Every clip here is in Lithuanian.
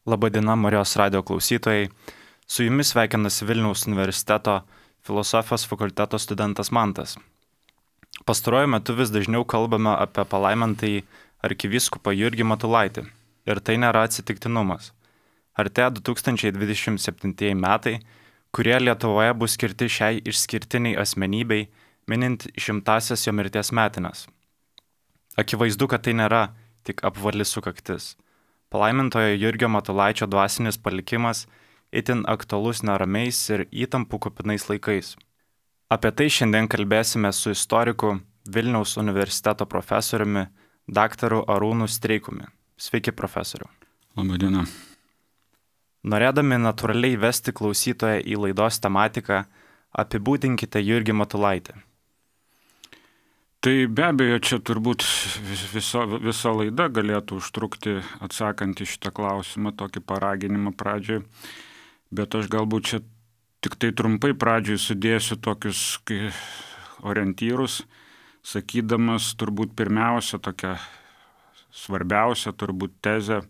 Labadiena Marijos radio klausytojai. Su jumis sveikinasi Vilniaus universiteto filosofijos fakulteto studentas Mantas. Pastaruoju metu vis dažniau kalbame apie palaimintąjį arkivyskupą Jurgį Matulaitį. Ir tai nėra atsitiktinumas. Artėja 2027 metai, kurie Lietuvoje bus skirti šiai išskirtiniai asmenybei, minint 100-asias jo mirties metines. Akivaizdu, kad tai nėra tik apvali sukaktis. Palaimintojo Jurgio Matulaičio dvasinis palikimas itin aktualus neramiais ir įtampų kupinais laikais. Apie tai šiandien kalbėsime su istoriku Vilniaus universiteto profesoriumi daktaru Arūnu Streikumi. Sveiki, profesoriu. Labadiena. Norėdami natūraliai vesti klausytoją į laidos tematiką, apibūdinkite Jurgį Matulaitį. Tai be abejo, čia turbūt visa laida galėtų užtrukti atsakant į šitą klausimą, tokį paraginimą pradžioj, bet aš galbūt čia tik tai trumpai pradžioj sudėsiu tokius orientyrus, sakydamas turbūt pirmiausia tokią svarbiausią turbūt tezę,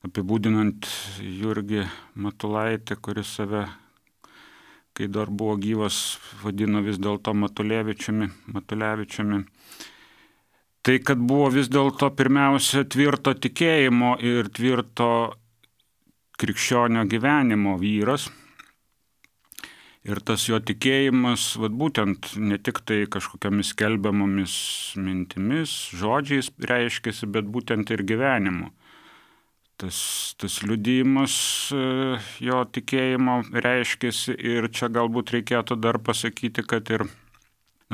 apibūdinant Jurgį Matulaitį, kuris save, kai dar buvo gyvas, vadino vis dėlto Matulevičiumi. Tai, kad buvo vis dėlto pirmiausia tvirto tikėjimo ir tvirto krikščionio gyvenimo vyras. Ir tas jo tikėjimas, būtent ne tik tai kažkokiamis skelbiamomis mintimis, žodžiais reiškiasi, bet būtent ir gyvenimu. Tas liudijimas jo tikėjimo reiškiasi ir čia galbūt reikėtų dar pasakyti, kad ir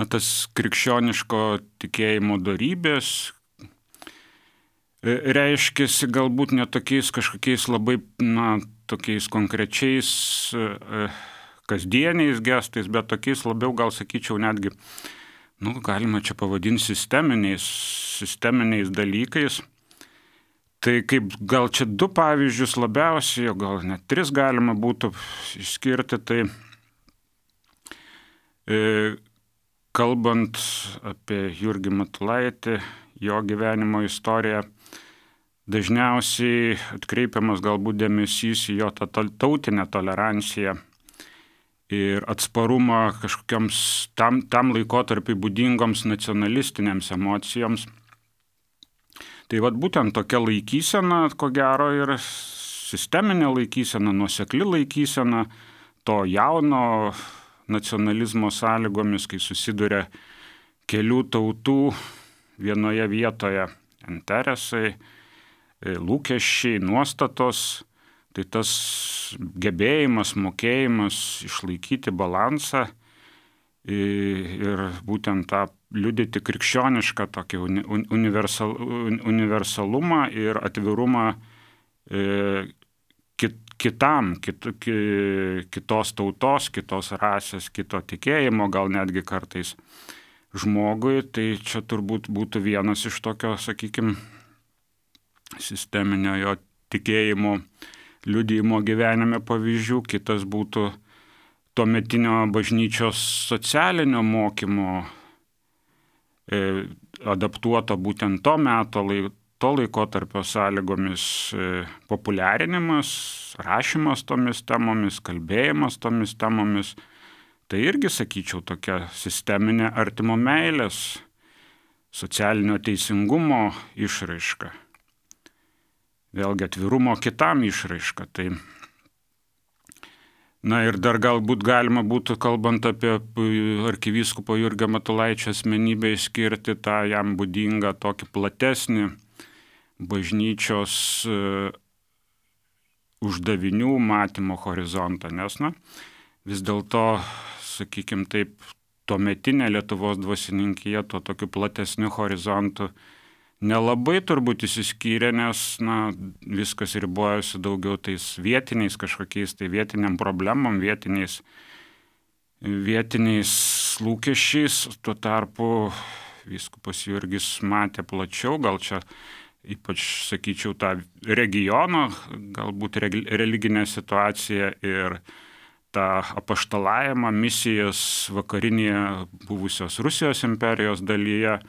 tas krikščioniško tikėjimo dorybės reiškiasi galbūt ne tokiais kažkokiais labai, tokiais konkrečiais kasdieniais gestais, bet tokiais labiau, gal sakyčiau, netgi, galima čia pavadinti sisteminiais dalykais. Tai kaip gal čia du pavyzdžius labiausiai, gal net tris galima būtų išskirti, tai kalbant apie Jurgį Matulaitį, jo gyvenimo istoriją, dažniausiai atkreipiamas galbūt dėmesys į jo tą tautinę toleranciją ir atsparumą kažkokiams tam laikotarpiui būdingoms nacionalistinėms emocijoms. Tai būtent tokia laikysena, ko gero, ir sisteminė laikysena, nuosekli laikysena to jauno nacionalizmo sąlygomis, kai susiduria kelių tautų vienoje vietoje interesai, lūkesčiai, nuostatos, tai tas gebėjimas, mokėjimas išlaikyti balansą ir būtent tą liudyti krikščionišką tokį universalumą ir atvirumą kitos tautos, kitos rasės, kito tikėjimo, gal netgi kartais žmogui. Tai čia turbūt būtų vienas iš tokio, sakykime, sisteminio jo tikėjimo liudijimo gyvenime pavyzdžių. Kitas būtų tuometinio bažnyčios socialinio mokymo adaptuoto būtent to meto, to laikotarpio sąlygomis populiarinimas, rašymas tomis temomis, kalbėjimas tomis temomis. Tai irgi, sakyčiau, tokia sisteminė artimo meilės, socialinio teisingumo išraiška. Vėlgi atvirumo kitam išraiška. Tai ir dar galbūt galima būtų, kalbant apie arkivyskupo Jurgio Matulaičio asmenybę, išskirti tą jam būdingą tokį platesnį bažnyčios uždavinių matymo horizontą, nes vis dėlto, sakykime taip, tuometinė Lietuvos dvasininkija to tokiu platesniu horizontu nelabai turbūt išsiskyrė, nes viskas ribojosi daugiau tais vietiniais kažkokiais, tai vietiniam problemom, vietiniais lūkesčiais. Tuo tarpu vyskupas Jurgis matė plačiau, gal čia ypač, sakyčiau, tą regiono, galbūt religinę situaciją ir tą apaštalavimą, misijas vakarinėje buvusios Rusijos imperijos dalyje.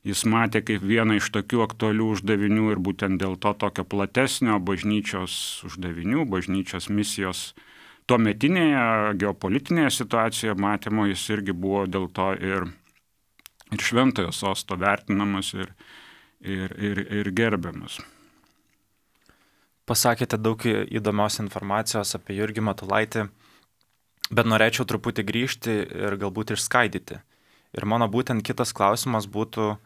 jis matė kaip vieną iš tokių aktualių uždavinių ir būtent dėl to tokio platesnio bažnyčios uždavinių, bažnyčios misijos tuometinėje geopolitinėje situacijoje matymo jis irgi buvo dėl to ir šventojo sosto vertinamas ir gerbiamas. Pasakėte daug įdomios informacijos apie Jurgį Matulaitį, bet norėčiau truputį grįžti ir galbūt išskaidyti. Ir mano būtent kitas klausimas būtų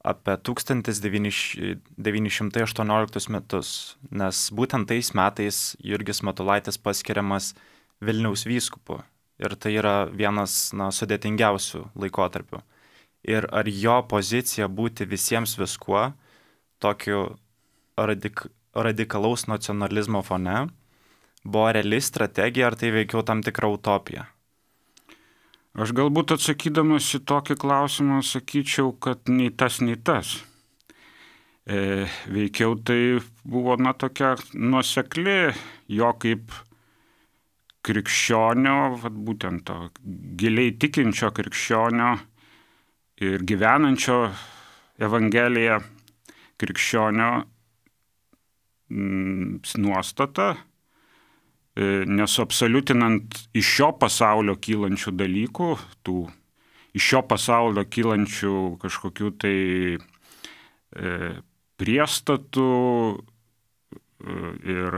apie 1918 metus, nes būtent tais metais Jurgis Matulaitis paskiriamas Vilniaus vyskupu. Ir tai yra vienas sudėtingiausių laikotarpių. Ir ar jo pozicija būti visiems viskuo, tokiu radikalaus nacionalizmo fone, buvo reali strategija, ar tai veikiau tam tikra utopija? Aš galbūt atsakydamas į tokį klausimą sakyčiau, kad nei tas, nei tas. Veikiau tai buvo tokia nuosekli jo kaip krikščionio, būtent to giliai tikinčio krikščionio ir gyvenančio Evangeliją krikščionio nuostata, nesuabsoliutinant iš šio pasaulio kylančių dalykų, iš šio pasaulio kylančių kažkokių tai priestatų ir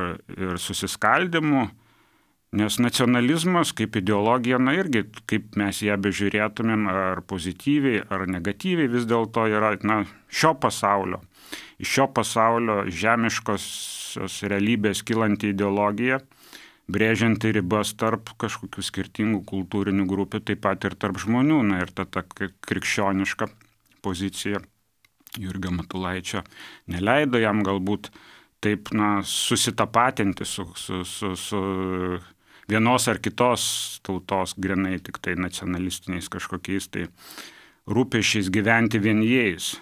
susiskaldimų, nes nacionalizmas kaip ideologija, irgi kaip mes ją bežiūrėtumėm, ar pozityviai, ar negatyviai, vis dėlto yra šio pasaulio. Iš šio pasaulio žemiškosios realybės kylanti ideologija, brėžianti ribas tarp kažkokių skirtingų kultūrinių grupių, taip pat ir tarp žmonių. Ir ta krikščioniška pozicija Jurgio Matulaičio neleido jam galbūt taip susitapatinti su vienos ar kitos tautos grinai tik tai nacionalistiniais kažkokiais tai rūpesčiais gyventi vien jais.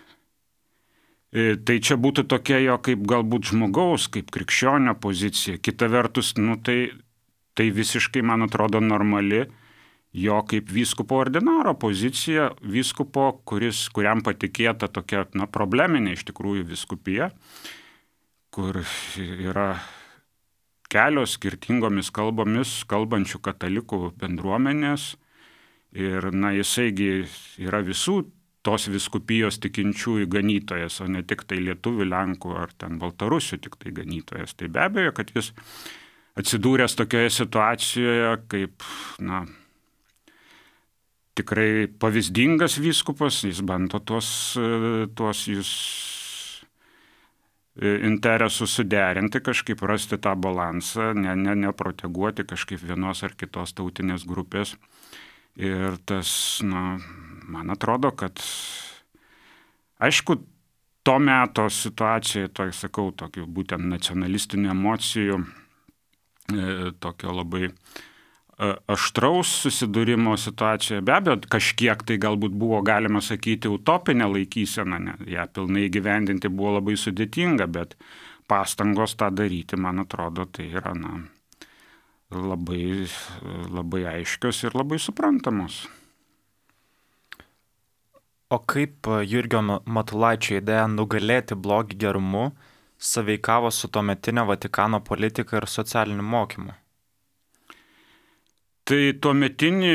Tai čia būtų tokia jo kaip galbūt žmogaus, kaip krikščionio pozicija. Kita vertus, tai visiškai, man atrodo, normali jo kaip vyskupo ordinaro pozicija, vyskupo, kuriam patikėta tokia probleminė iš tikrųjų vyskupija, kur yra kelios skirtingomis kalbomis kalbančių katalikų bendruomenės ir jisaigi yra visų tos vyskupijos tikinčiųjų ganytojas, o ne tik tai lietuvių, lenkų ar ten baltarusių tik tai ganytojas. Tai be abejo, kad jis atsidūręs tokioje situacijoje kaip, tikrai pavyzdingas vyskupas, jis bando tuos jūs interesus suderinti, kažkaip rasti tą balansą, neproteguoti kažkaip vienos ar kitos tautinės grupės. Ir tas, man atrodo, kad aišku, to meto situacijoje, tokių būtent nacionalistinių emocijų, tokio labai aštraus susidūrimo situacijoje, be abejo, kažkiek tai galbūt buvo, galima sakyti, utopinė laikysena, ją pilnai įgyvendinti buvo labai sudėtinga, bet pastangos tą daryti, man atrodo, tai yra, labai, labai aiškios ir labai suprantamos. O kaip Jurgio Matulaičio idėja nugalėti blogį gerumu sąveikavo su tuometinio Vatikano politika ir socialiniu mokymu? Tai tuometinį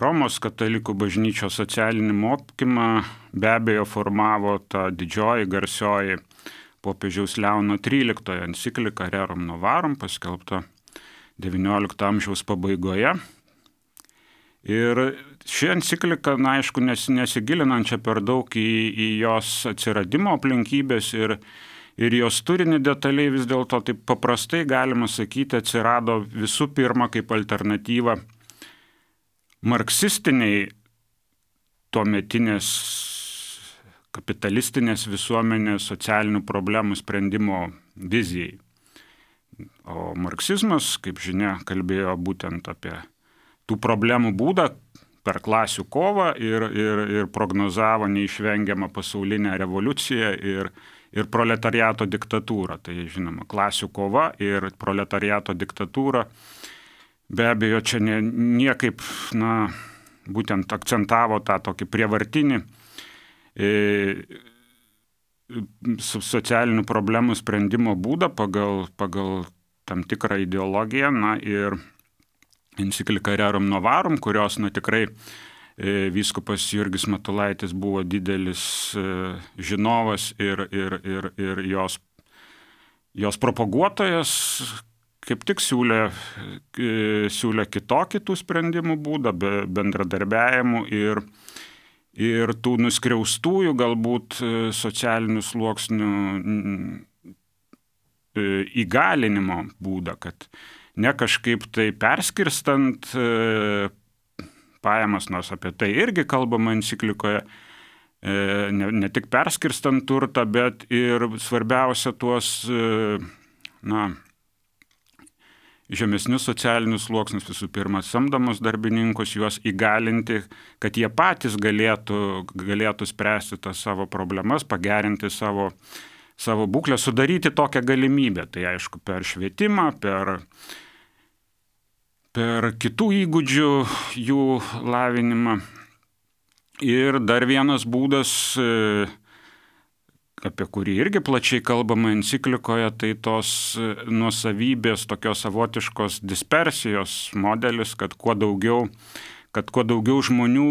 Romos katalikų bažnyčios socialinį mokymą be abejo formavo ta didžioji garsioji popiežiaus Leono XIII enciklika Rerum Novarum, paskelbta XIX amžiaus pabaigoje. Ir ši enciklika, aišku, nesigilinančia per daug į jos atsiradimo aplinkybės ir jos turinį detaliai, vis dėlto taip paprastai galima sakyti, atsirado visų pirma kaip alternatyva marksistiniai tuometinės kapitalistinės visuomenės socialinių problemų sprendimo vizijai. O marksizmas, kaip žinia, kalbėjo būtent apie tų problemų būdą per klasių kovą ir prognozavo neišvengiamą pasaulinę revoliuciją ir proletariato diktatūrą. Tai, žinoma, klasių kova ir proletariato diktatūra be abejo čia niekaip, būtent akcentavo tą tokį prievartinį socialinių problemų sprendimo būdą pagal tam tikrą ideologiją, ir enciklika Rerum Novarum, kurios tikrai vyskupas Jurgis Matulaitis buvo didelis žinovas ir jos propaguotojas, kaip tik siūlė kitokį tų sprendimų būdą, bendradarbiavimų ir tų nuskriaustųjų galbūt socialinių sluoksnių įgalinimo būdą, kad ne kažkaip tai perskirstant pajamas, nors apie tai irgi kalbama enciklikoje, ne tik perskirstant turtą, bet ir svarbiausia tuos žemesnius socialinius sluoksnius, visų pirma, samdomus darbininkus, juos įgalinti, kad jie patys galėtų spręsti tas savo problemas, pagerinti savo būklę, sudaryti tokią galimybę. Tai aišku, per švietimą, per kitų įgūdžių jų lavinimą. Ir dar vienas būdas, apie kurį irgi plačiai kalbama enciklikoje, tai tos nuosavybės, tokios savotiškos dispersijos modelis, kad kuo daugiau žmonių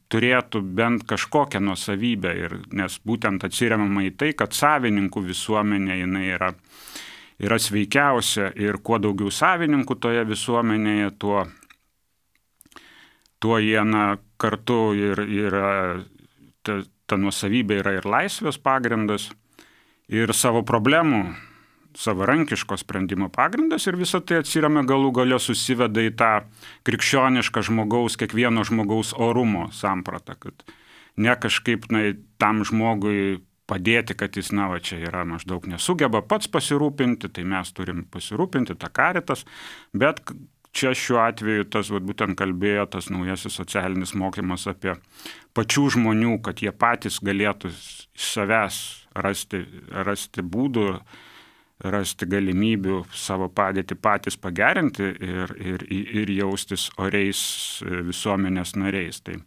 turėtų bent kažkokią nuosavybę, nes būtent atsiremiama į tai, kad savininkų visuomenė jinai yra sveikiausia ir kuo daugiau savininkų toje visuomenėje, tuo jie kartu ir ta nuosavybė yra ir laisvės pagrindas, ir savo problemų savarankiško sprendimo pagrindas, ir visą tai atsiremia galų gale susiveda į tą krikščionišką kiekvieno žmogaus orumo sampratą, kad ne kažkaip tam žmogui padėti, kad jis čia yra maždaug nesugeba pats pasirūpinti, tai mes turim pasirūpinti, ta Caritas, bet čia šiuo atveju tas būtent kalbėjo tas naujasis socialinis mokymas apie pačių žmonių, kad jie patys galėtų iš savęs rasti būdų, rasti galimybių savo padėtį patys pagerinti ir jaustis oriais visuomenės nariais. Tai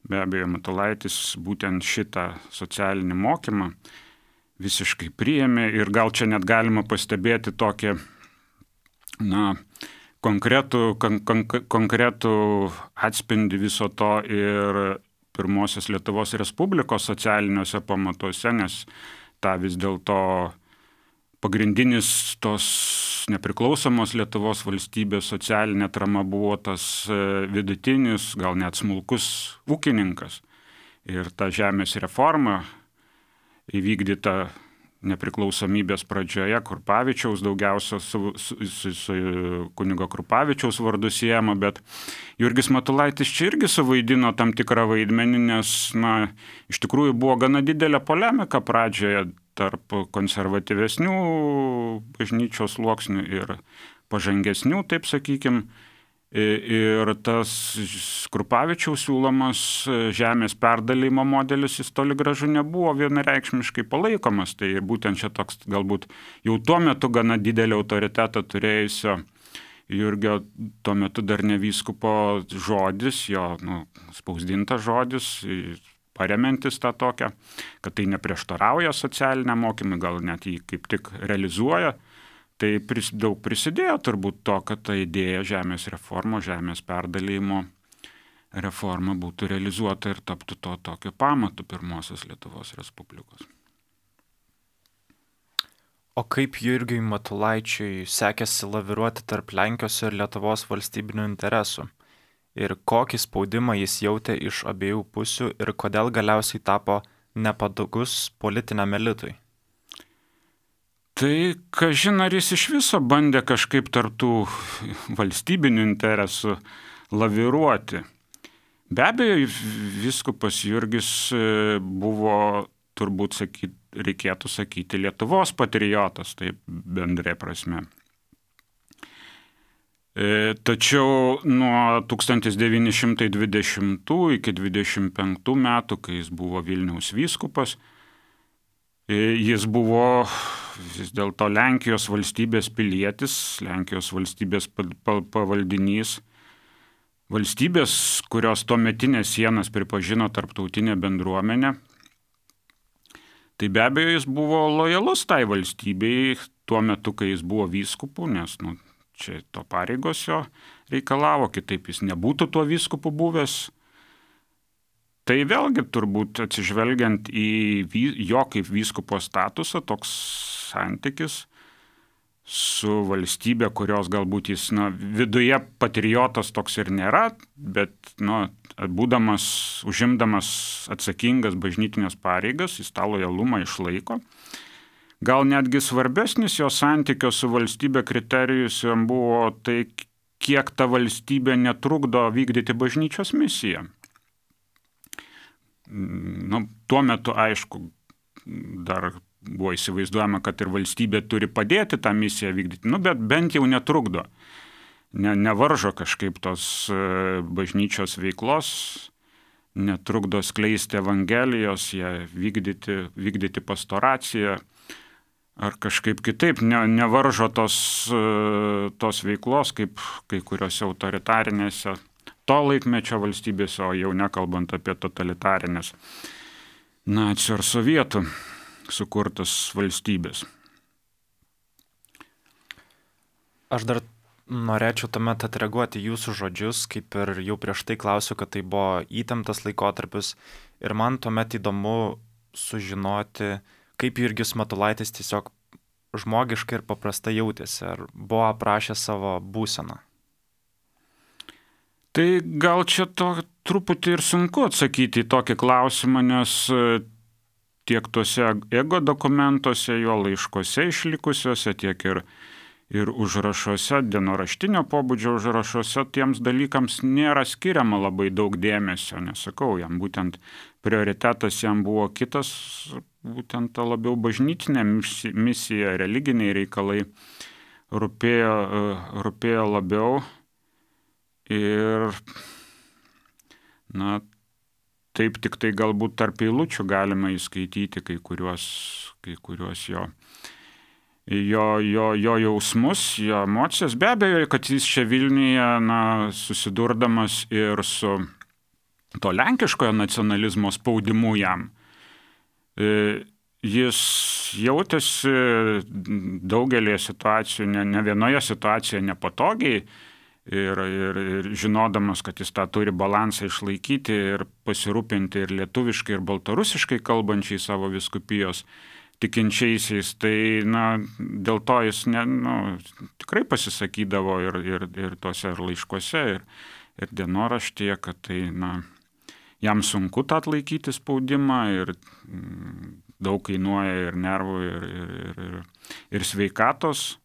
be abejo, Matulaitis būtent šitą socialinį mokymą visiškai priėmė ir gal čia net galima pastebėti tokį, konkretų atspindį viso to ir pirmosios Lietuvos Respublikos socialiniuose pamatuose, nes ta vis dėlto pagrindinis tos nepriklausomos Lietuvos valstybės socialinė atrama buvo tas vidutinis, gal net smulkus ūkininkas. Ir ta žemės reforma įvykdyta nepriklausomybės pradžioje Krupavičiaus, daugiausia su kunigo Krupavičiaus vardu siejama, bet Jurgis Matulaitis čia irgi suvaidino tam tikrą vaidmenį, nes iš tikrųjų buvo gana didelė polemika pradžioje tarp konservatyvesnių bažnyčios sluoksnių ir pažangesnių, taip sakykim. Ir tas Krupavičiaus siūlomas žemės perdalymo modelis jis toli gražu nebuvo vienareikšmiškai palaikomas. Tai būtent čia toks galbūt jau tuo metu gana didelį autoritetą turėjusio Jurgio tuo metu dar ne vyskupo žodis, jo spausdintas žodis, paremiantis tą tokią, kad tai neprieštarauja socialiniam mokymui, gal net jį kaip tik realizuoja. Tai daug prisidėjo turbūt to, kad ta idėja žemės perdalymo reforma būtų realizuota ir taptų to tokio pamatu pirmosios Lietuvos Respublikos. O kaip Jurgiui Matulaičiui sekėsi laviruoti tarp Lenkijos ir Lietuvos valstybinių interesų? Ir kokį spaudimą jis jautė iš abiejų pusių ir kodėl galiausiai tapo nepatogus politiniam elitui? Tai, kažin ar jis iš viso bandė kažkaip tarptų valstybinių interesų laviruoti. Be abejo, vyskupas Jurgis buvo, turbūt reikėtų sakyti, Lietuvos patriotas, taip bendrai prasme. Tačiau nuo 1920 iki 1925 metų, kai jis buvo Vilniaus vyskupas, jis buvo vis dėlto Lenkijos valstybės pilietis, Lenkijos valstybės pavaldinys, valstybės, kurios tuometinės sienas pripažino tarptautinė bendruomenė, tai be abejo jis buvo lojalus tai valstybei tuo metu, kai jis buvo vyskupu, nes čia to pareigos jo reikalavo, kitaip jis nebūtų tuo vyskupu buvęs. Tai vėlgi turbūt atsižvelgiant į jo kaip vyskupo statusą, toks santykis su valstybė, kurios galbūt jis viduje patriotas toks ir nėra, bet užimdamas atsakingas bažnytinės pareigas, jis tą lojalumą išlaiko. Gal netgi svarbesnis jo santykio su valstybė kriterijus jam buvo tai, kiek ta valstybė netrukdo vykdyti bažnyčios misiją. Tuo metu, aišku, dar buvo įsivaizduojama, kad ir valstybė turi padėti tą misiją vykdyti, bet bent jau netrukdo, nevaržo kažkaip tos bažnyčios veiklos, netrukdo skleisti evangelijos, ją vykdyti pastoraciją, ar kažkaip kitaip, nevaržo tos veiklos, kaip kai kuriuose autoritarinėse to laikmečio valstybėse, o jau nekalbant apie totalitarinės nacių ar sovietų sukurtas valstybės. Aš dar norėčiau tuomet atreaguoti jūsų žodžius, kaip ir jau prieš tai klausiu, kad tai buvo įtemptas laikotarpis ir man tuomet įdomu sužinoti, kaip Jurgis Matulaitis tiesiog žmogiškai ir paprastai jautėsi, ar buvo aprašęs savo būseną. Tai gal čia truputį ir sunku atsakyti į tokį klausimą, nes tiek tuose ego dokumentuose, jo laiškuose išlikusiuose, tiek ir užrašuose, dienoraštinio pobūdžio užrašuose, tiems dalykams nėra skiriama labai daug dėmesio, nesakau, jam būtent prioritetas jam buvo kitas, būtent ta labiau bažnytinė misija, religiniai reikalai rūpėjo labiau. Ir, taip tik tai galbūt tarp eilučių galima įskaityti kai kuriuos jo jausmus, jo emocijas. Be abejo, kad jis čia Vilniuje, susidurdamas ir su to lenkiškojo nacionalizmo spaudimu jam, jis jautėsi daugelį situacijų, ne vienoje situacijoje nepatogiai, ir žinodamas, kad jis tą turi balansą išlaikyti ir pasirūpinti ir lietuviškai, ir baltarusiškai kalbančiai savo vyskupijos tikinčiaisiais, tai dėl to jis tikrai pasisakydavo ir tuose laiškuose, ir dienoraštyje, kad tai jam sunku tą atlaikyti spaudimą ir daug kainuoja ir nervų, ir sveikatos.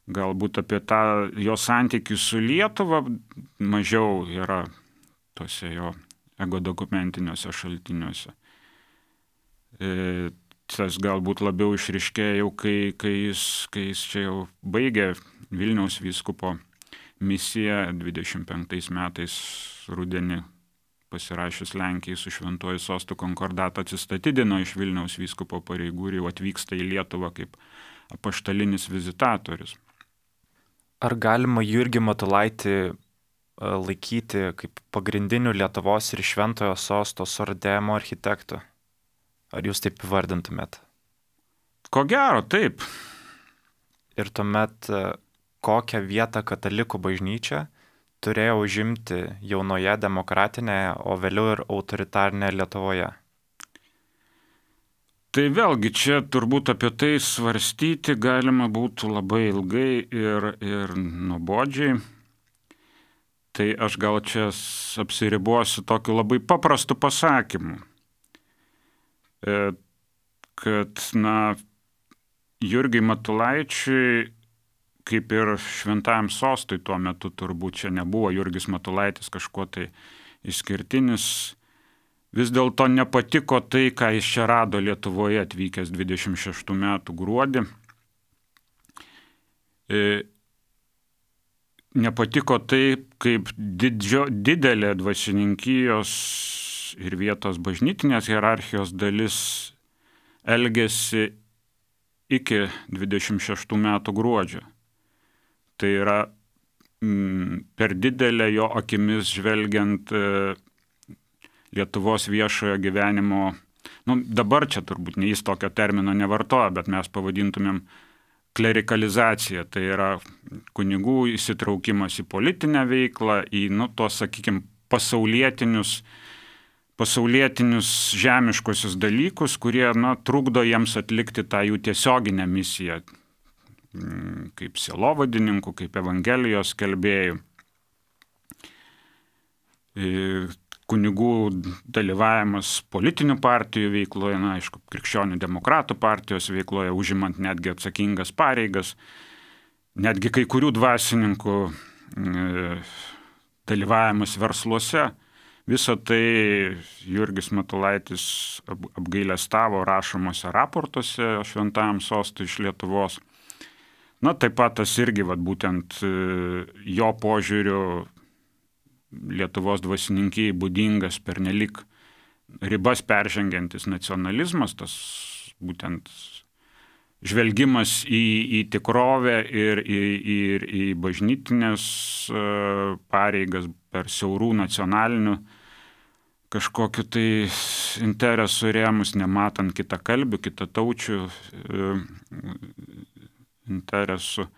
Galbūt apie tą jo santykį su Lietuva mažiau yra tuose jo ego dokumentiniuose šaltiniuose. Tas galbūt labiau išryškėjo jau, kai jis čia jau baigė Vilniaus vyskupo misiją 25 metais rudenį pasirašius Lenkijai su Šventuoju sostu konkordatą atsistatydino iš Vilniaus vyskupo pareigų ir jau atvyksta į Lietuvą kaip apaštalinis vizitatorius. Ar galima Jurgį Matulaitį laikyti kaip pagrindiniu Lietuvos ir Šventojo sosto suartėjimo architektu? Ar jūs taip įvardintumėt? Ko gero, taip. Ir tuomet kokią vietą katalikų bažnyčia turėjo užimti jaunoje demokratinėje, o vėliau ir autoritarnėje Lietuvoje? Tai vėlgi čia turbūt apie tai svarstyti galima būtų labai ilgai ir nuobodžiai. Tai aš gal čia apsiribosiu tokiu labai paprastu pasakymu, kad Jurgiui Matulaičiui, kaip ir Šventajam sostui tuo metu turbūt čia nebuvo Jurgis Matulaitis kažkuo tai išskirtinis, vis dėlto nepatiko tai, ką jis čia rado Lietuvoje atvykęs 26 metų gruodį. Nepatiko tai, kaip didelė dvasininkijos ir vietos bažnytinės hierarchijos dalis elgėsi iki 26 metų gruodžio. Tai yra per didelė jo akimis žvelgiant Lietuvos viešojo gyvenimo, dabar čia turbūt jis tokio termino nevartoja, bet mes pavadintumėm klerikalizacija, tai yra kunigų įsitraukimas į politinę veiklą, į tos, sakykime, pasaulietinius žemiškosius dalykus, kurie trukdo jiems atlikti tą jų tiesioginę misiją, kaip sielovadininkų, kaip evangelijos skelbėjų. Kunigų dalyvavimas politinių partijų veikloje, aišku, krikščionių demokratų partijos veikloje, užimant netgi atsakingas pareigas, netgi kai kurių dvasininkų dalyvavimas versluose. Visą tai Jurgis Matulaitis apgailestavo rašomose raportuose Šventajam sostui iš Lietuvos. Taip pat tas irgi būtent jo požiūriu Lietuvos dvasininkijai būdingas pernelik ribas peržengiantis nacionalizmas, tas būtent žvelgimas į tikrovę ir į bažnytinės pareigas per siaurų nacionalinių kažkokiu tai interesų rėmus, nematant kitakalbių, kitataučių interesų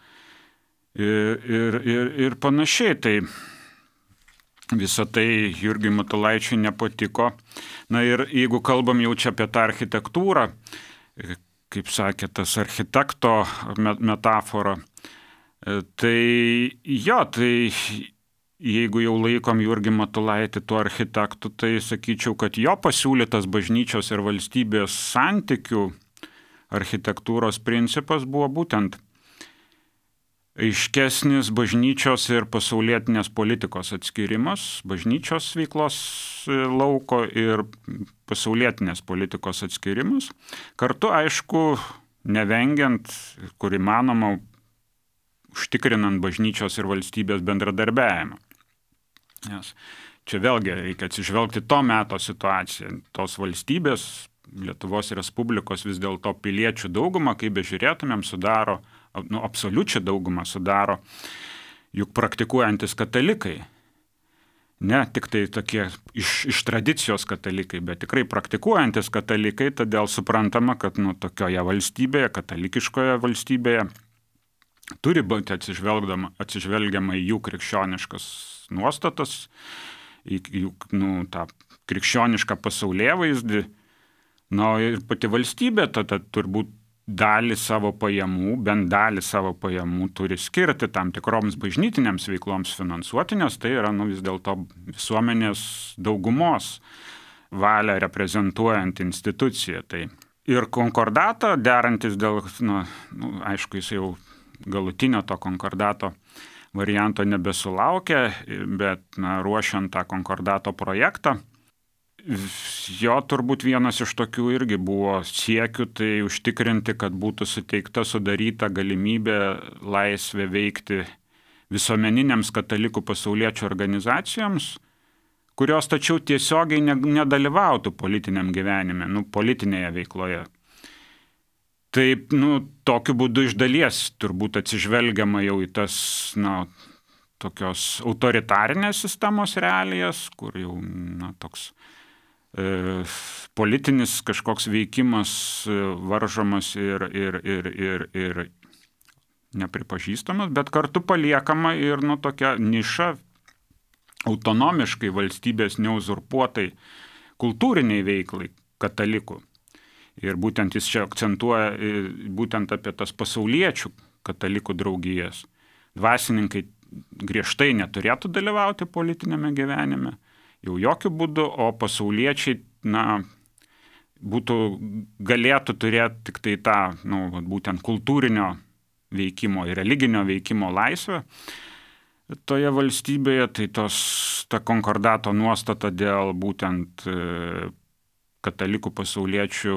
ir panašiai. Tai visą tai Jurgiui Matulaičiui nepatiko. Ir jeigu kalbam jau čia apie tą architektūrą, kaip sakė tas architekto metafora, tai jeigu jau laikom Jurgį Matulaitį tuo architektu, tai sakyčiau, kad jo pasiūlytas bažnyčios ir valstybės santykių architektūros principas buvo būtent aiškesnis bažnyčios ir pasaulietinės politikos atskirimas, bažnyčios veiklos lauko ir pasaulietinės politikos atskirimas. Kartu, aišku, nevengiant, kur įmanoma, užtikrinant bažnyčios ir valstybės bendradarbiavimą. Nes čia vėlgi reikia atsižvelgti to meto situaciją. Tos valstybės, Lietuvos Respublikos vis dėlto piliečių daugumą, kaip bežiūrėtumėm, sudaro absoliučią daugumą sudaro juk praktikuojantis katalikai. Ne tik tai tokie iš tradicijos katalikai, bet tikrai praktikuojantis katalikai, todėl suprantama, kad tokioje valstybėje, katalikiškoje valstybėje, turi būti atsižvelgiama į jų krikščioniškas nuostatas, į jų tą krikščionišką pasaulėvaizdį. Ir pati valstybė tada turbūt bent dalį savo pajamų turi skirti tam tikroms bažnytinėms veikloms finansuoti, nes tai yra vis dėlto visuomenės daugumos valią reprezentuojant instituciją. Tai ir konkordato derantis dėl, aišku, jis jau galutinio to konkordato varianto nebesulaukė, bet ruošiant tą konkordato projektą, jo turbūt vienas iš tokių irgi buvo siekių, tai užtikrinti, kad būtų sudaryta galimybė laisvė veikti visuomeniniams katalikų pasauliečių organizacijoms, kurios tačiau tiesiogiai nedalyvautų politiniam gyvenime, politinėje veikloje. Taip, tokiu būdu iš dalies turbūt atsižvelgiama jau į tas, tokios autoritarinės sistemos realijas, kur jau, toks politinis kažkoks veikimas varžomas ir nepripažįstamas, bet kartu paliekama ir tokia niša autonomiškai valstybės neuzurpuotai kultūriniai veiklai katalikų. Ir būtent jis čia akcentuoja būtent apie tas pasauliečių katalikų draugijas. Dvasininkai griežtai neturėtų dalyvauti politinėme gyvenime, jau jokių būdų, o pasauliečiai, galėtų turėti tik tai tą, būtent kultūrinio veikimo ir religinio veikimo laisvę toje valstybėje. Tai ta konkordato nuostata dėl būtent katalikų pasauliečių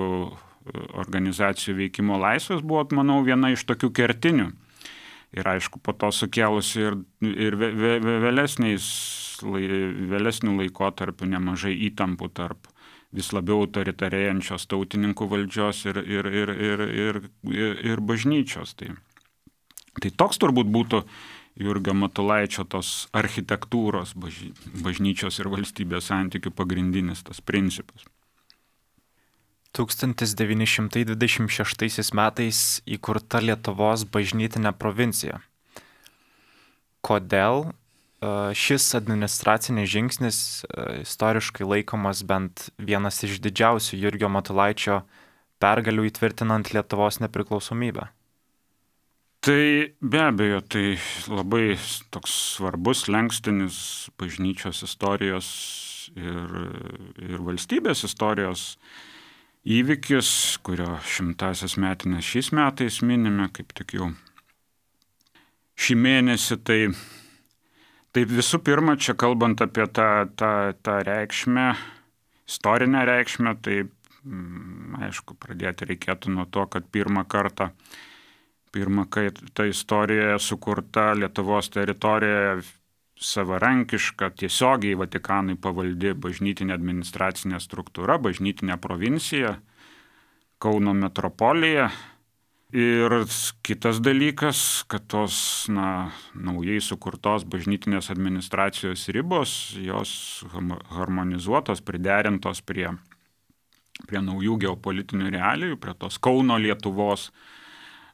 organizacijų veikimo laisvės buvo, manau, viena iš tokių kertinių. Ir aišku, po to sukėlusi ir vėlesnių laikotarpių nemažai įtampų tarp vis labiau autoritarėjančios tautininkų valdžios ir bažnyčios. Tai toks turbūt būtų Jurgio Matulaičio tos architektūros bažnyčios ir valstybės santykių pagrindinis tas principas. 1926 metais įkurta Lietuvos bažnytinė provincija. Kodėl šis administracinis žingsnis istoriškai laikomas bent vienas iš didžiausių Jurgio Matulaičio pergalių įtvirtinant Lietuvos nepriklausomybę? Tai be abejo, tai labai toks svarbus lenkstinis bažnyčios istorijos ir valstybės istorijos įvykis, kurio 100-asias metinės šiais metais minime, kaip tik jau šį mėnesį. Tai visų pirma, čia kalbant apie tą reikšmę, istorinę reikšmę, tai aišku, pradėti reikėtų nuo to, kad pirmą kartą ta istorija sukurta Lietuvos teritorijoje savarankiška, tiesiogiai Vatikanui pavaldi bažnytinė administracinė struktūra, bažnytinė provincija, Kauno metropolija. Ir kitas dalykas, kad tos naujai sukurtos bažnytinės administracijos ribos, jos harmonizuotos, priderintos prie naujų geopolitinių realijų, prie tos Kauno Lietuvos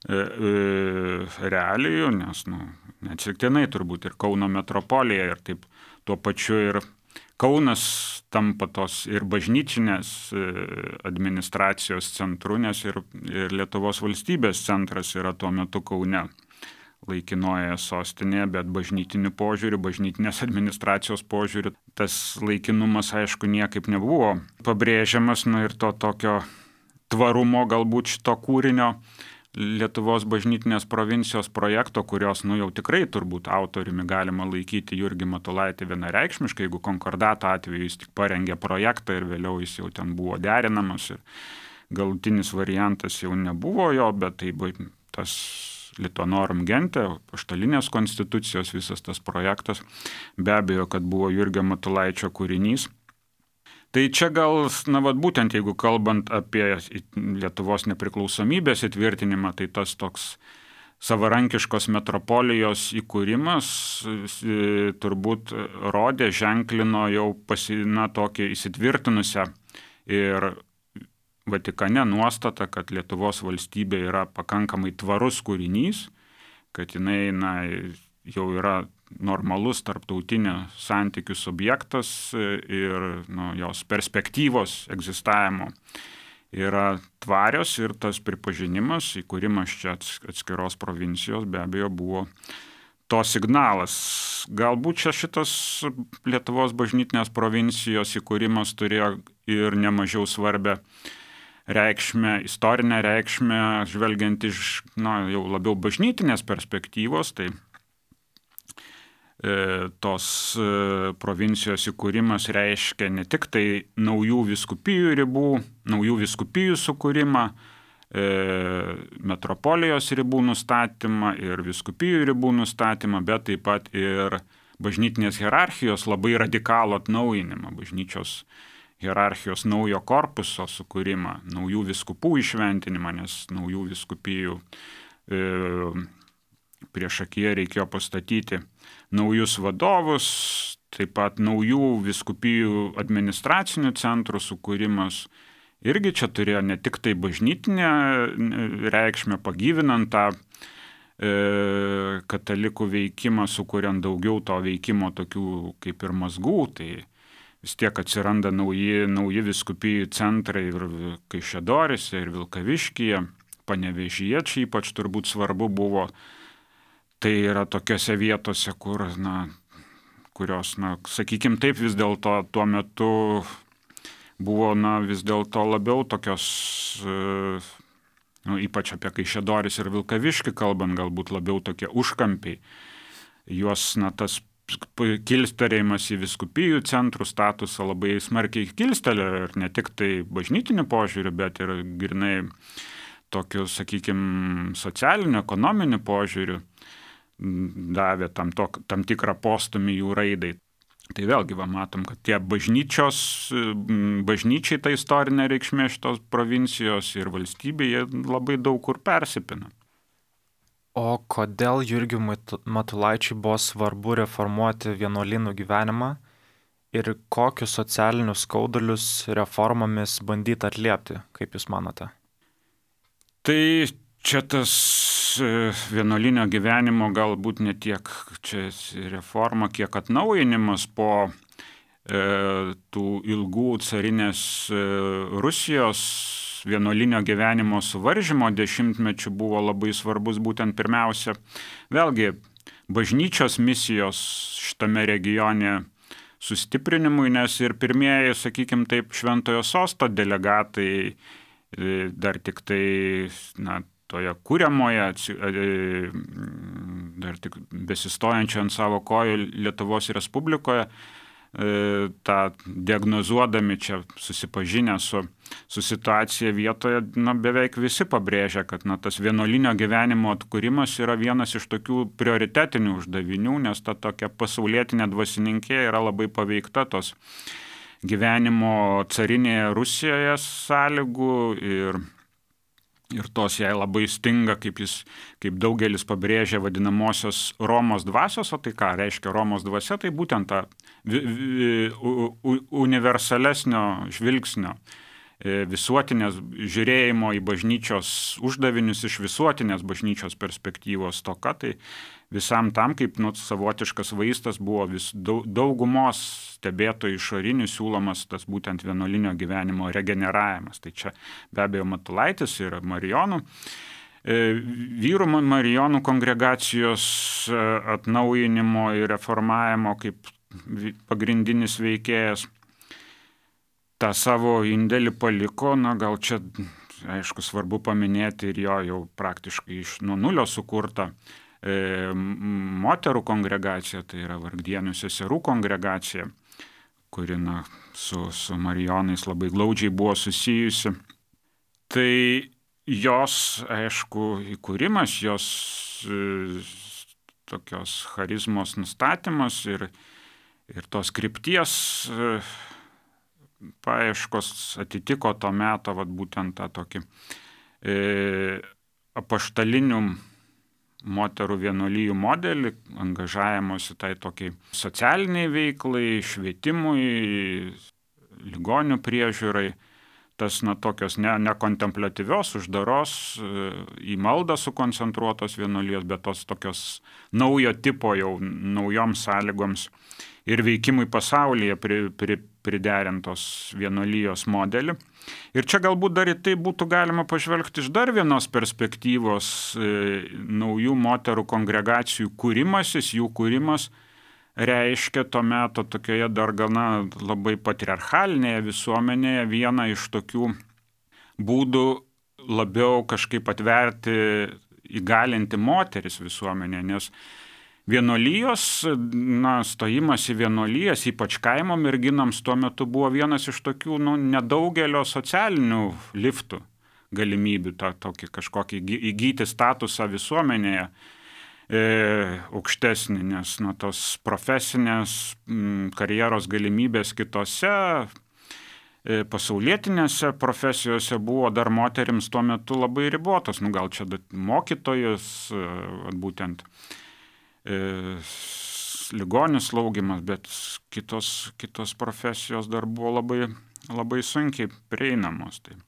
realijų, nes neatsitiktinai turbūt ir Kauno metropolija ir taip tuo pačiu ir Kaunas tampa tos ir bažnyčinės administracijos centru, nes ir Lietuvos valstybės centras yra tuo metu Kaune, laikinoje sostinėje, bet bažnytiniu požiūriu, bažnytinės administracijos požiūriu tas laikinumas aišku niekaip nebuvo pabrėžiamas, ir to tokio tvarumo galbūt šito kūrinio Lietuvos bažnytinės provincijos projekto, kurios jau tikrai turbūt autoriumi galima laikyti Jurgį Matulaitį vienareikšmiškai, jeigu konkordato atveju jis tik parengė projektą ir vėliau jis jau ten buvo derinamas ir galutinis variantas jau nebuvo jo, bet tai tas Lituanorum Gente, apaštalinės konstitucijos visas tas projektas, be abejo, kad buvo Jurgio Matulaičio kūrinys. Tai čia gal, būtent jeigu kalbant apie Lietuvos nepriklausomybės įtvirtinimą, tai tas toks savarankiškos metropolijos įkūrimas turbūt rodė, ženklino jau tokį įsitvirtinusią ir Vatikane nuostatą, kad Lietuvos valstybė yra pakankamai tvarus kūrinys, kad jinai jau yra normalus tarptautinio santykių subjektas ir jos perspektyvos egzistavimo yra tvarios ir tas pripažinimas, įkūrimas čia atskiros provincijos be abejo buvo to signalas. Galbūt čia šitas Lietuvos bažnytinės provincijos įkūrimas turėjo ir nemažiau svarbę reikšmę, istorinę reikšmę, žvelgiant iš jau labiau bažnytinės perspektyvos, tai tos provincijos įkūrimas reiškia ne tik tai naujų vyskupijų ribų, naujų vyskupijų sukūrimą, metropolijos ribų nustatymą ir vyskupijų ribų nustatymą, bet taip pat ir bažnytinės hierarchijos labai radikalų atnaujinimą, bažnyčios hierarchijos naujo korpuso sukūrimą, naujų vyskupų įšventinimą, nes naujų vyskupijų priešakyje reikėjo pastatyti naujus vadovus, taip pat naujų vyskupijų administracinių centrų sukūrimas. Irgi čia turėjo ne tik tai bažnytinę reikšmę, pagyvinant tą katalikų veikimą, sukuriant daugiau to veikimo tokių kaip ir mazgų, tai vis tiek atsiranda nauji vyskupijų centrai ir Kaišiadoryse, ir Vilkaviškyje, Panevėžyje, čia ypač turbūt svarbu buvo. Tai yra tokiose vietose, kurios, sakykim taip, vis dėlto tuo metu buvo, vis dėlto labiau tokios, ypač apie Kaišiadorys ir Vilkaviškį kalbant, galbūt labiau tokie užkampiai. Juos, tas kilstelėjimas į vyskupijų centrų statusą labai smarkiai kilstelė ir ne tik tai bažnytiniu požiūriu, bet ir grynai tokiu, sakykim, socialiniu, ekonominiu požiūriu davė tam tikrą postumį jų raidai. Tai vėlgi matom, kad tie bažnyčiai ta istorinė reikšmė šitos provincijos ir valstybėje labai daug kur persipina. O kodėl Jurgiui Matulaičiui buvo svarbu reformuoti vienuolynų gyvenimą ir kokius socialinius skaudulius reformomis bandyti atliepti, kaip Jūs manote? Tai čia tas vienuolinio gyvenimo galbūt ne tiek čia reforma, kiek atnaujinimas po tų ilgų carinės Rusijos vienuolinio gyvenimo suvaržymo dešimtmečių buvo labai svarbus būtent pirmiausia, vėlgi, bažnyčios misijos šitame regione sustiprinimui, nes ir pirmieji, sakykime taip, Šventojo Sosto delegatai dar tik tai, toje kuriamoje, dar tik besistojančio ant savo kojų Lietuvos Respublikoje, tą diagnozuodami čia susipažinę su situacija vietoje, beveik visi pabrėžia, kad tas vienuolinio gyvenimo atkūrimas yra vienas iš tokių prioritetinių uždavinių, nes ta tokia pasaulietinė dvasininkė yra labai paveikta tos gyvenimo carinėje Rusijoje sąlygų ir tos jai labai stinga, kaip daugelis pabrėžia, vadinamosios Romos dvasios. O tai ką reiškia Romos dvasia? Tai būtent ta universalesnio žvilgsnio, visuotinės žiūrėjimo į bažnyčios uždavinius iš visuotinės bažnyčios perspektyvos toka. Tai visam tam, kaip savotiškas vaistas buvo daugumos stebėtojų išorinių siūlomas tas būtent vienuolinio gyvenimo regeneravimas. Tai čia be abejo Matulaitis ir Marijonų. Vyrų Marijonų kongregacijos atnaujinimo ir reformavimo kaip pagrindinis veikėjas tą savo indėlį paliko, gal čia, aišku, svarbu paminėti ir jo jau praktiškai nuo nulio sukurtą moterų kongregacija, tai yra Vargdienių seserų kongregacija, kuri su Marijonais labai glaudžiai buvo susijusi. Tai jos, aišku, įkūrimas, jos tokios charizmos nustatymas ir tos krypties paieškos atitiko to meto būtent tą tokį apaštalinių moterų vienuolijų modelį, angažavimuose tai tokiai socialiniai veiklai, švietimui, ligonių priežiūrai, tas tokios nekontempliatyvios, uždaros, į maldą sukoncentruotos vienuolijos, bet tos tokios naujo tipo jau naujoms sąlygoms ir veikimui pasaulyje priderintos vienuolijos modelį. Ir čia galbūt dar į tai būtų galima pažvelgti iš dar vienos perspektyvos, naujų moterų kongregacijų kūrimasis, jų kūrimas reiškia to meto tokioje dar gana labai patriarchalinėje visuomenėje vieną iš tokių būdų labiau kažkaip atverti, įgalinti moteris visuomenėje, nes vienuolijos, stojimas į vienuolijas, ypač kaimo merginams tuo metu buvo vienas iš tokių nedaugelio socialinių liftų galimybių, tokį kažkokį įgyti statusą visuomenėje aukštesnį, nes tos profesinės karjeros galimybės kitose pasaulietinėse profesijose buvo dar moterims tuo metu labai ribotos. Gal čia mokytojus, būtent ligonių slaugimas, bet kitos profesijos dar buvo labai sunkiai prieinamos. Tai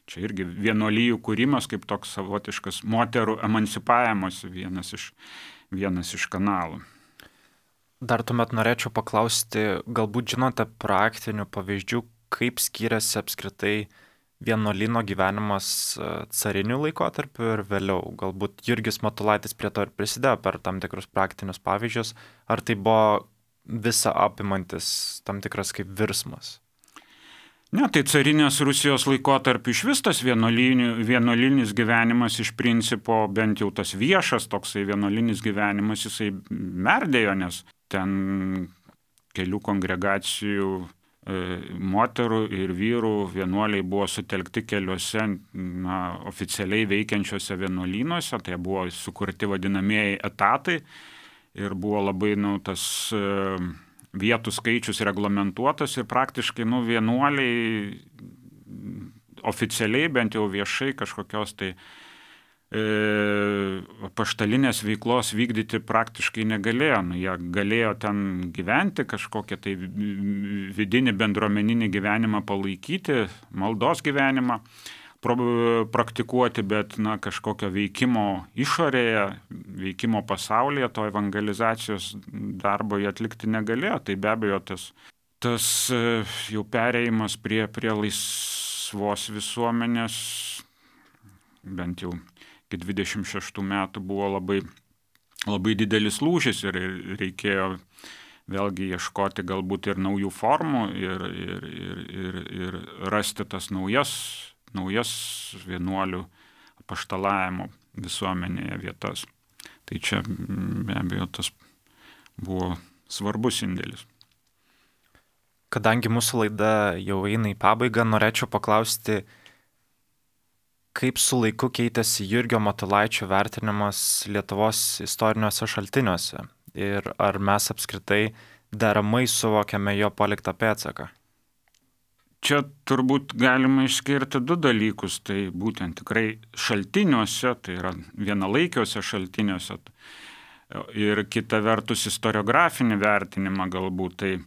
čia irgi vienuolijų kūrimas kaip toks savotiškas moterų emancipavimas vienas iš kanalų. Dar tuomet norėčiau paklausti, galbūt žinote praktinių pavyzdžių, kaip skiriasi apskritai vienuolyno gyvenimas cariniu laikotarpiu ir vėliau. Galbūt Jurgis Matulaitis prie to ir prisidėjo per tam tikrus praktinius pavyzdžius, ar tai buvo visa apimantis tam tikras kaip virsmas? Ne, tai carinės Rusijos laikotarpiu iš vis tas vienuolinis gyvenimas iš principo, bent jau tas viešas toksai vienuolinis gyvenimas, jisai merdėjo, nes ten kelių kongregacijų moterų ir vyrų vienuoliai buvo sutelkti keliuose oficialiai veikiančiose vienuolynuose, tai buvo sukurti vadinamieji etatai ir buvo labai tas vietų skaičius reglamentuotas ir praktiškai vienuoliai oficialiai, bent jau viešai kažkokios tai apaštalinės veiklos vykdyti praktiškai negalėjo. Jie galėjo ten gyventi, kažkokią tai vidinį bendruomeninį gyvenimą palaikyti, maldos gyvenimą praktikuoti, bet kažkokio veikimo išorėje, veikimo pasaulyje, to evangelizacijos darbo jie atlikti negalėjo. Tai be abejo tas jau perėjimas prie laisvos visuomenės, bent jau iki 26 metų, buvo labai didelis lūžis ir reikėjo vėlgi ieškoti galbūt ir naujų formų ir rasti tas naujas vienuolių apaštalavimo visuomenėje vietas. Tai čia be abejo tas buvo svarbus indėlis. Kadangi mūsų laida jau eina į pabaigą, norėčiau paklausti, kaip su laiku keitėsi Jurgio Matulaičio vertinimas Lietuvos istoriniuose šaltiniuose ir ar mes apskritai deramai suvokiame jo paliktą pėdsaką? Čia turbūt galima išskirti du dalykus, tai būtent tikrai šaltiniuose, tai yra vienalaikiuose šaltiniuose ir kita vertus istoriografinį vertinimą galbūt. Tai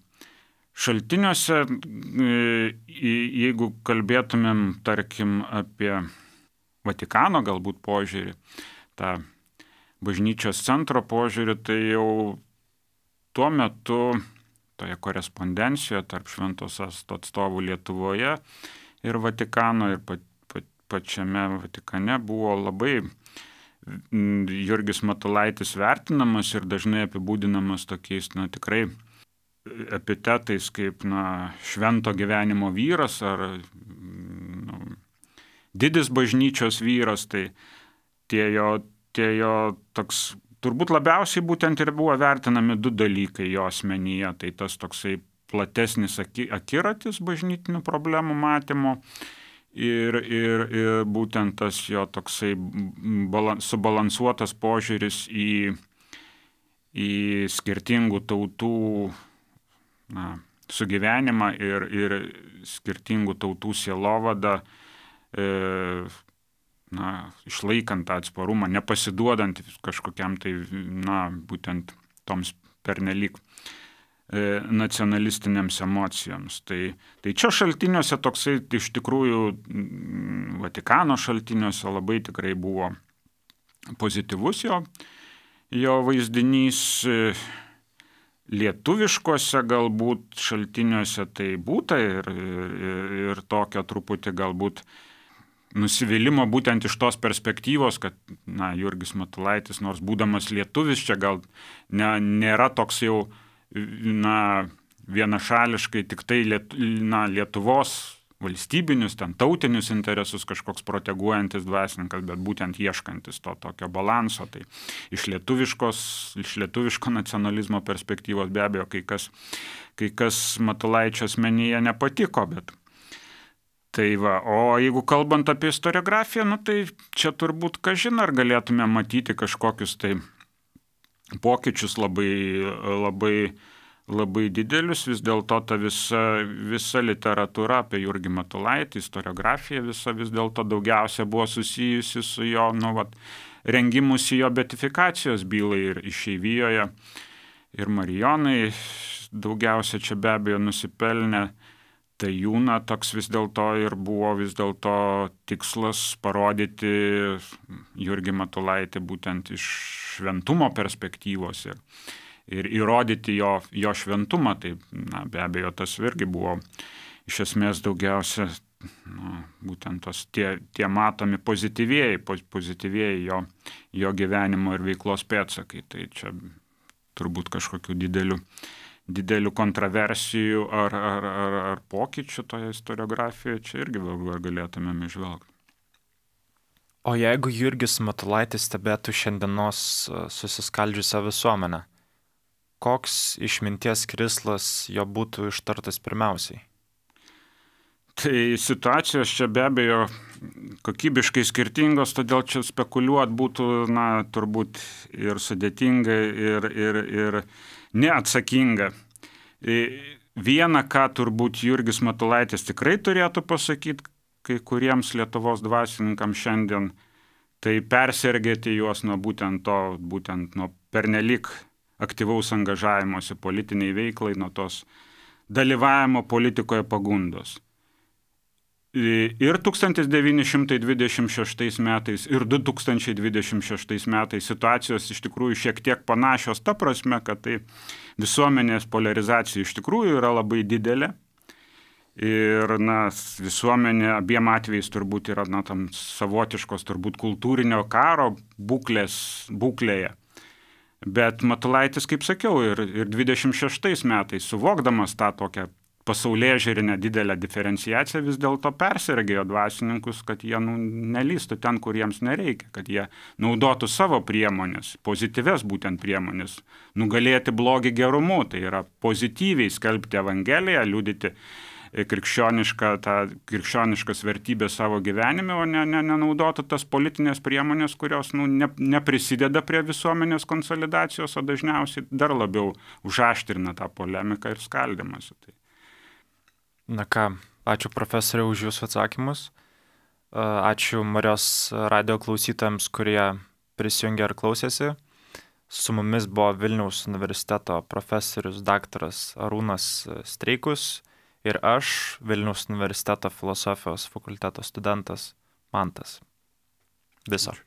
šaltiniuose, jeigu kalbėtumėm, tarkim, apie Vatikano galbūt požiūrį, tą bažnyčios centro požiūrį, tai jau tuo metu toje korespondencijoje tarp Šventojo Sosto atstovų Lietuvoje ir Vatikano ir pačiame Vatikane buvo labai Jurgis Matulaitis vertinamas ir dažnai apibūdinamas tokiais, tikrai epitetais kaip, švento gyvenimo vyras ar didis bažnyčios vyras, tai tie jo toks. Turbūt labiausiai būtent ir buvo vertinami du dalykai jo asmenyje. Tai tas toksai platesnis akiratis bažnytinių problemų matymo ir būtent tas jo toksai subalansuotas požiūris į skirtingų tautų sugyvenimą ir skirtingų tautų sielovadą, išlaikant tą atsparumą, nepasiduodant kažkokiam tai, būtent toms pernelyg nacionalistinėms emocijoms. Tai čia šaltiniuose toksai iš tikrųjų Vatikano šaltiniuose labai tikrai buvo pozityvus jo vaizdinys. Lietuviškuose galbūt šaltiniuose tai būta ir tokio truputį galbūt nusivylimą būtent iš tos perspektyvos, kad Jurgis Matulaitis, nors būdamas lietuvis, čia gal nėra toks jau vienašališkai tik tai Lietuvos valstybinius, tautinius interesus kažkoks proteguojantis dvasininkas, bet būtent ieškantis to tokio balanso. Tai iš lietuviško nacionalizmo perspektyvos be abejo kai kas Matulaičio asmenyje nepatiko, bet tai va, o jeigu kalbant apie istoriografiją, tai čia turbūt kažin ar galėtume matyti kažkokius tai pokyčius labai didelius. Vis dėlto ta visa literatūra apie Jurgį Matulaitį, istoriografija visa vis dėlto daugiausia buvo susijusi su jo rengimusi jo beatifikacijos bylai ir išeivijoje. Ir Marijonai daugiausia čia be abejo nusipelnė. Tai jų toks vis dėlto ir buvo tikslas parodyti Jurgį Matulaitį būtent iš šventumo perspektyvos ir įrodyti jo šventumą. Tai be abejo tas irgi buvo iš esmės daugiausia būtent tie matomi pozityvieji jo gyvenimo ir veiklos pėdsakai. Tai čia turbūt kažkokių didelių kontroversijų ar pokyčių toje istoriografijoje čia irgi galėtumėm išvelgti. O jeigu Jurgis Matulaitis stebėtų šiandienos susiskaldžiusią visuomenę, koks išminties krislas jo būtų ištartas pirmiausiai? Tai situacijos čia be abejo kokybiškai skirtingos, todėl čia spekuliuoti būtų turbūt ir sudėtinga ir neatsakinga. Viena, ką turbūt Jurgis Matulaitis tikrai turėtų pasakyti kai kuriems Lietuvos dvasininkams šiandien, tai persergėti juos nuo būtent nuo pernelyg aktyvaus angažavimosi politiniai veiklai, nuo tos dalyvavimo politikoje pagundos. Ir 1926 metais, ir 2026 metais situacijos iš tikrųjų šiek tiek panašios ta prasme, kad tai visuomenės polarizacija iš tikrųjų yra labai didelė. Ir visuomenė abiem atvejais turbūt yra tam savotiškos turbūt kultūrinio karo būklėje. Bet Matulaitis, kaip sakiau, ir 26 metais, suvokdamas tą tokią pasaulėžiūrinę didelę diferenciaciją, vis dėlto persergėjo dvasininkus, kad jie nelystų ten, kur jiems nereikia, kad jie naudotų savo priemonės, pozityves būtent priemonės, nugalėti blogį gerumu, tai yra pozityviai skelbti Evangeliją, liudyti krikščioniškas vertybės savo gyvenime, o nenaudotų tas politinės priemonės, kurios neprisideda prie visuomenės konsolidacijos, o dažniausiai dar labiau užaštrina tą polemiką ir skaldymąsi. Na ką, ačiū profesoriau už jūsų atsakymus. Ačiū Marijos radijo klausytojams, kurie prisijungė ir klausėsi. Su mumis buvo Vilniaus universiteto profesorius daktaras Arūnas Streikus ir aš, Vilniaus universiteto filosofijos fakulteto studentas Mantas. Viso.